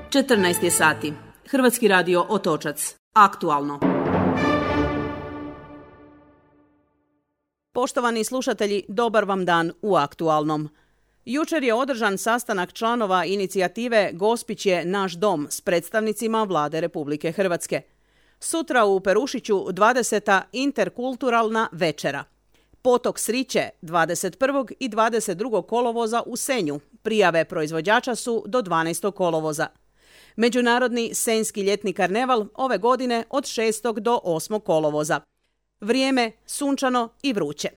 14 je sati. Hrvatski radio Otočac. Aktualno. Poštovani slušatelji, dobar vam dan u Aktualnom. Jučer je održan sastanak članova inicijative Gospić je naš dom s predstavnicima Vlade Republike Hrvatske. Sutra u Perušiću 20. interkulturalna večera. Potok Sriće 21. i 22. kolovoza u Senju. Prijave proizvođača su do 12. kolovoza. Međunarodni Senjski ljetni karneval ove godine od 6. do 8. kolovoza. Vrijeme sunčano i vruće.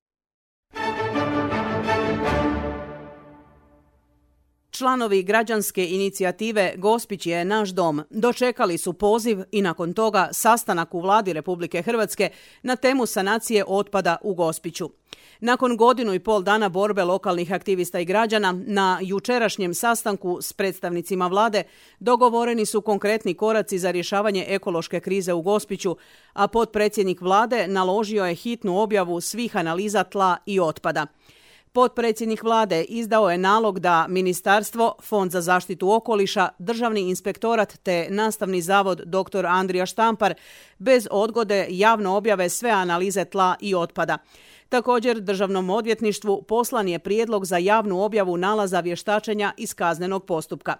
Članovi građanske inicijative Gospić je naš dom dočekali su poziv i nakon toga sastanak u Vladi Republike Hrvatske na temu sanacije otpada u Gospiću. Nakon 1,5 dana borbe lokalnih aktivista i građana, na jučerašnjem sastanku s predstavnicima Vlade dogovoreni su konkretni koraci za rješavanje ekološke krize u Gospiću, a potpredsjednik Vlade naložio je hitnu objavu svih analiza tla i otpada. Potpredsjednik Vlade izdao je nalog da Ministarstvo, Fond za zaštitu okoliša, Državni inspektorat te Nastavni zavod dr. Andrija Štampar bez odgode javno objave sve analize tla i otpada. Također, Državnom odvjetništvu poslan je prijedlog za javnu objavu nalaza vještačenja iz kaznenog postupka.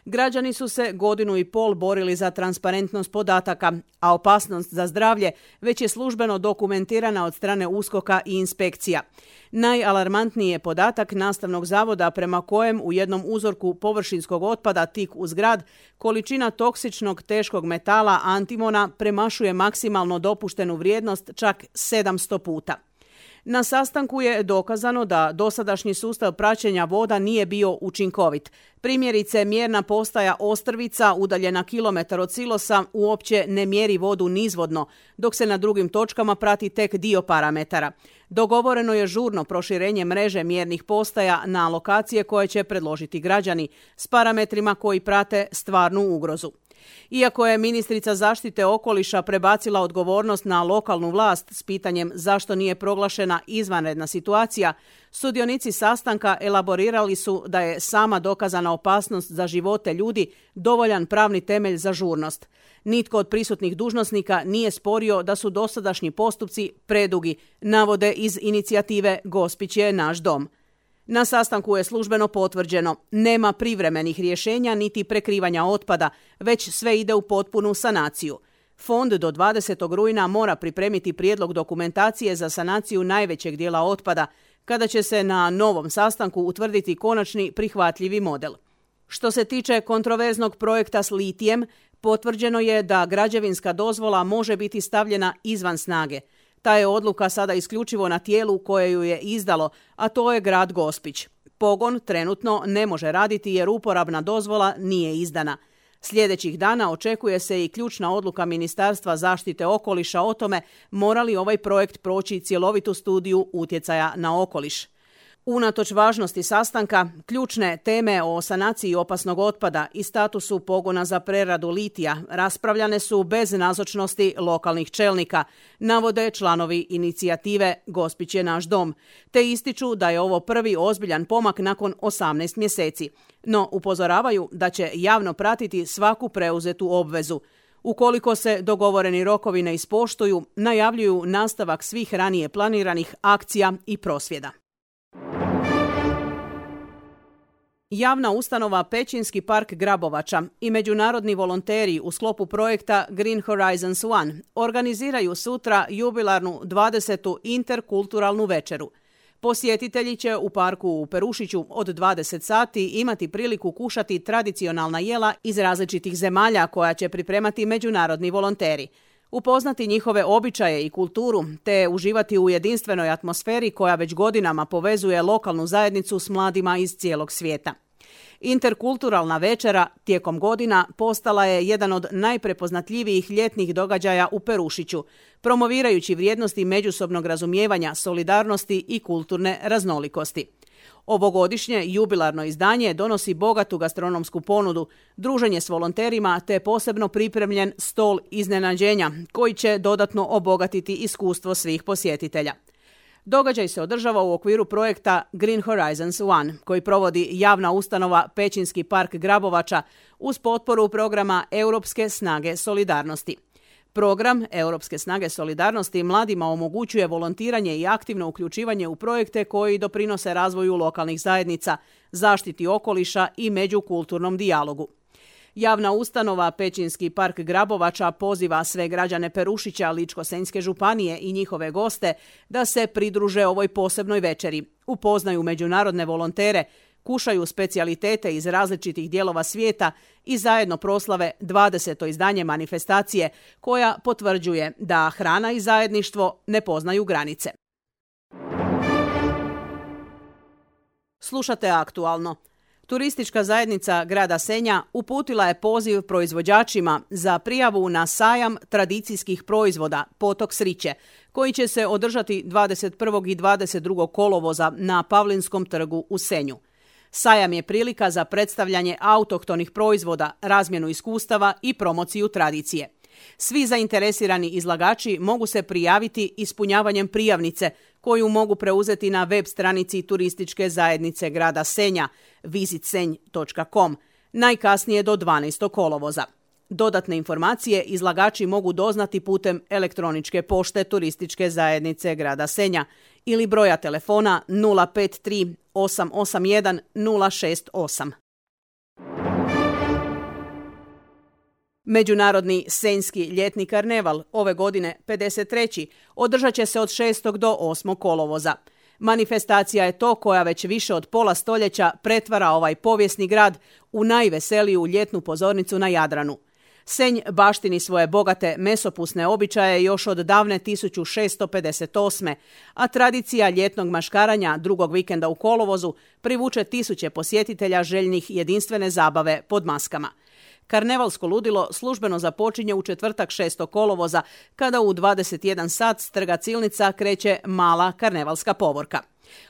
Građani su se 1,5 borili za transparentnost podataka, a opasnost za zdravlje već je službeno dokumentirana od strane USKOK-a i inspekcija. Najalarmantniji je podatak Nastavnog zavoda prema kojem u jednom uzorku površinskog otpada tik uz grad količina toksičnog teškog metala antimona premašuje maksimalno dopuštenu vrijednost čak 700 puta. Na sastanku je dokazano da dosadašnji sustav praćenja voda nije bio učinkovit. Primjerice, mjerna postaja Ostrvica, udaljena kilometar od silosa, uopće ne mjeri vodu nizvodno, dok se na drugim točkama prati tek dio parametara. Dogovoreno je žurno proširenje mreže mjernih postaja na lokacije koje će predložiti građani s parametrima koji prate stvarnu ugrozu. Iako je ministrica zaštite okoliša prebacila odgovornost na lokalnu vlast s pitanjem zašto nije proglašena izvanredna situacija, sudionici sastanka elaborirali su da je sama dokazana opasnost za živote ljudi dovoljan pravni temelj za žurnost. Nitko od prisutnih dužnosnika nije sporio da su dosadašnji postupci predugi, navode iz inicijative Gospić je naš dom. Na sastanku je službeno potvrđeno, nema privremenih rješenja niti prekrivanja otpada, već sve ide u potpunu sanaciju. Fond do 20. rujna mora pripremiti prijedlog dokumentacije za sanaciju najvećeg dijela otpada, kada će se na novom sastanku utvrditi konačni prihvatljivi model. Što se tiče kontroverznog projekta s litijem, potvrđeno je da građevinska dozvola može biti stavljena izvan snage. Ta je odluka sada isključivo na tijelu koje ju je izdalo, a to je grad Gospić. Pogon trenutno ne može raditi jer uporabna dozvola nije izdana. Sljedećih dana očekuje se i ključna odluka Ministarstva zaštite okoliša o tome mora li ovaj projekt proći cjelovitu studiju utjecaja na okoliš. Unatoč važnosti sastanka, ključne teme o sanaciji opasnog otpada i statusu pogona za preradu litija raspravljane su bez nazočnosti lokalnih čelnika, navode članovi inicijative Gospić je naš dom, te ističu da je ovo prvi ozbiljan pomak nakon 18 mjeseci. No upozoravaju da će javno pratiti svaku preuzetu obvezu. Ukoliko se dogovoreni rokovi ne ispoštuju, najavljuju nastavak svih ranije planiranih akcija i prosvjeda. Javna ustanova Pećinski park Grabovača i međunarodni volonteri u sklopu projekta Green Horizons One organiziraju sutra jubilarnu 20. interkulturalnu večeru. Posjetitelji će u parku u Perušiću od 20 sati imati priliku kušati tradicionalna jela iz različitih zemalja koja će pripremati međunarodni volonteri. Upoznati njihove običaje i kulturu, te uživati u jedinstvenoj atmosferi koja već godinama povezuje lokalnu zajednicu s mladima iz cijelog svijeta. Interkulturalna večera tijekom godina postala je jedan od najprepoznatljivijih ljetnih događaja u Perušiću, promovirajući vrijednosti međusobnog razumijevanja, solidarnosti i kulturne raznolikosti. Ovogodišnje jubilarno izdanje donosi bogatu gastronomsku ponudu, druženje s volonterima te posebno pripremljen stol iznenađenja koji će dodatno obogatiti iskustvo svih posjetitelja. Događaj se održava u okviru projekta Green Horizons 1, koji provodi javna ustanova Pećinski park Grabovača uz potporu programa Europske snage solidarnosti. Program Europske snage solidarnosti mladima omogućuje volontiranje i aktivno uključivanje u projekte koji doprinose razvoju lokalnih zajednica, zaštiti okoliša i međukulturnom dijalogu. Javna ustanova Pećinski park Grabovača poziva sve građane Perušića, Ličko-senjske županije i njihove goste da se pridruže ovoj posebnoj večeri, upoznaju međunarodne volontere, kušaju specijalitete iz različitih dijelova svijeta i zajedno proslave 20. izdanje manifestacije koja potvrđuje da hrana i zajedništvo ne poznaju granice. Slušate Aktualno. Turistička zajednica grada Senja uputila je poziv proizvođačima za prijavu na sajam tradicijskih proizvoda Potok Sriće, koji će se održati 21. i 22. kolovoza na Pavlinskom trgu u Senju. Sajam je prilika za predstavljanje autohtonih proizvoda, razmjenu iskustava i promociju tradicije. Svi zainteresirani izlagači mogu se prijaviti ispunjavanjem prijavnice koju mogu preuzeti na web stranici turističke zajednice grada Senja visitsenj.com najkasnije do 12. kolovoza. Dodatne informacije izlagači mogu doznati putem elektroničke pošte turističke zajednice grada Senja ili broja telefona 053 881 068. Međunarodni senjski ljetni karneval, ove godine 53. održat će se od 6. do 8. kolovoza. Manifestacija je to koja već više od pola stoljeća pretvara ovaj povijesni grad u najveseliju ljetnu pozornicu na Jadranu. Senj baštini svoje bogate mesopusne običaje još od davne 1658. a tradicija ljetnog maškaranja drugog vikenda u kolovozu privuče tisuće posjetitelja željnih jedinstvene zabave pod maskama. Karnevalsko ludilo službeno započinje u četvrtak 6. kolovoza, kada u 21 sat s trga Cilnica kreće mala karnevalska povorka.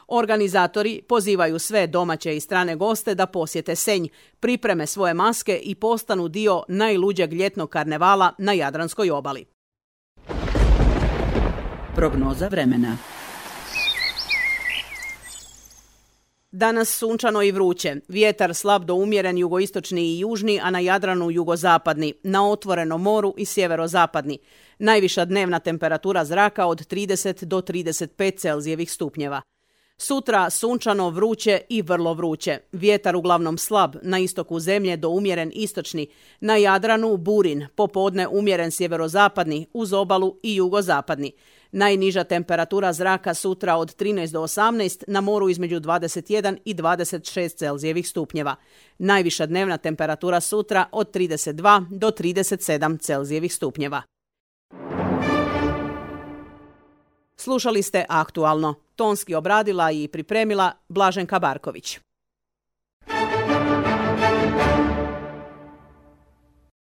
Organizatori pozivaju sve domaće i strane goste da posjete Senj, pripreme svoje maske i postanu dio najluđeg ljetnog karnevala na Jadranskoj obali. Prognoza vremena. Danas sunčano i vruće. Vjetar slab do umjeren jugoistočni i južni, a na Jadranu jugozapadni, na otvorenom moru i sjeverozapadni. Najviša dnevna temperatura zraka od 30 do 35 Celzijevih stupnjeva. Sutra sunčano, vruće i vrlo vruće. Vjetar uglavnom slab, na istoku zemlje do umjeren istočni, na Jadranu burin, popodne umjeren sjeverozapadni, uz obalu i jugozapadni. Najniža temperatura zraka sutra od 13 do 18, na moru između 21 i 26 Celzijevih stupnjeva. Najviša dnevna temperatura sutra od 32 do 37 Celzijevih stupnjeva. Slušali ste Aktualno. Tonski obradila i pripremila Blaženka Barković.